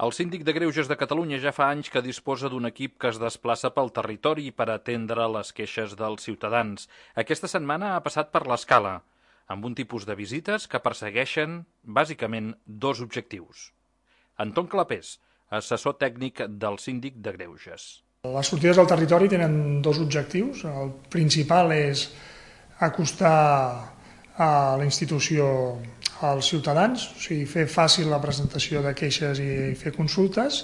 El síndic de Greuges de Catalunya ja fa anys que disposa d'un equip que es desplaça pel territori per atendre les queixes dels ciutadans. Aquesta setmana ha passat per l'Escala, amb un tipus de visites que persegueixen, bàsicament, dos objectius. Anton Clapés, assessor tècnic del síndic de Greuges. Les sortides al territori tenen dos objectius. El principal és acostar a la institució als ciutadans, o sigui, fer fàcil la presentació de queixes i fer consultes,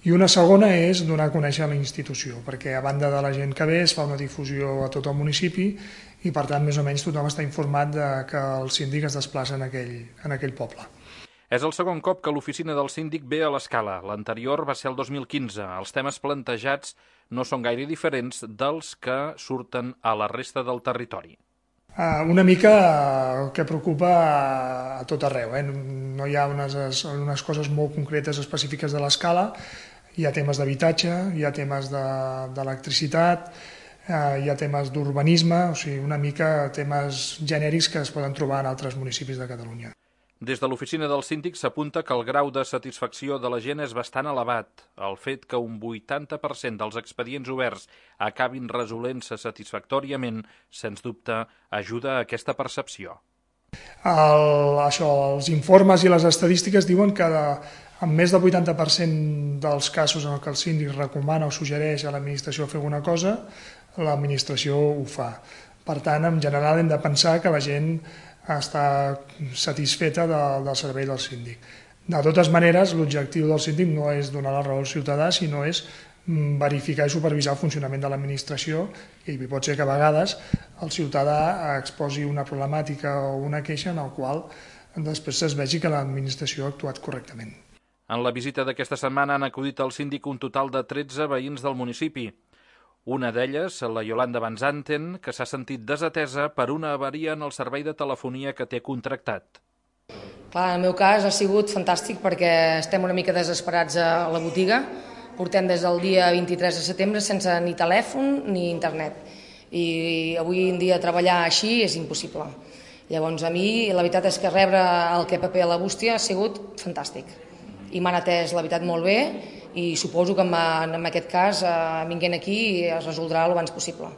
i una segona és donar a conèixer la institució, perquè a banda de la gent que ve es fa una difusió a tot el municipi i per tant més o menys tothom està informat de que el síndic es desplaça en aquell poble. És el segon cop que l'oficina del síndic ve a l'Escala. L'anterior va ser el 2015. Els temes plantejats no són gaire diferents dels que surten a la resta del territori. Una mica el que preocupa a tot arreu. No hi ha unes coses molt concretes específiques de l'Escala. Hi ha temes d'habitatge, hi ha temes d'electricitat, hi ha temes d'urbanisme, o sigui, una mica temes genèrics que es poden trobar en altres municipis de Catalunya. Des de l'oficina del síndic s'apunta que el grau de satisfacció de la gent és bastant elevat. El fet que un 80% dels expedients oberts acabin resolent-se satisfactòriament, sens dubte, ajuda a aquesta percepció. Els informes i les estadístiques diuen que en més del 80% dels casos en què el síndic recomana o suggereix a l'administració fer alguna cosa, l'administració ho fa. Per tant, en general hem de pensar que la gent està satisfeta del servei del síndic. De totes maneres, l'objectiu del síndic no és donar la raó al ciutadà, sinó és verificar i supervisar el funcionament de l'administració, i pot ser que a vegades el ciutadà exposi una problemàtica o una queixa en la qual després es vegi que l'administració ha actuat correctament. En la visita d'aquesta setmana han acudit al síndic un total de 13 veïns del municipi. Una d'elles, la Yolanda Van Zanten, que s'ha sentit desatesa per una avaria en el servei de telefonia que té contractat. Clar, en el meu cas ha sigut fantàstic perquè estem una mica desesperats a la botiga. Portem des del dia 23 de setembre sense ni telèfon ni internet. I avui en dia treballar així és impossible. Llavors a mi la veritat és que rebre el KPP a la bústia ha sigut fantàstic. I m'han atès la veritat molt bé i suposo que en aquest cas, vinguent aquí, es resoldrà el abans possible.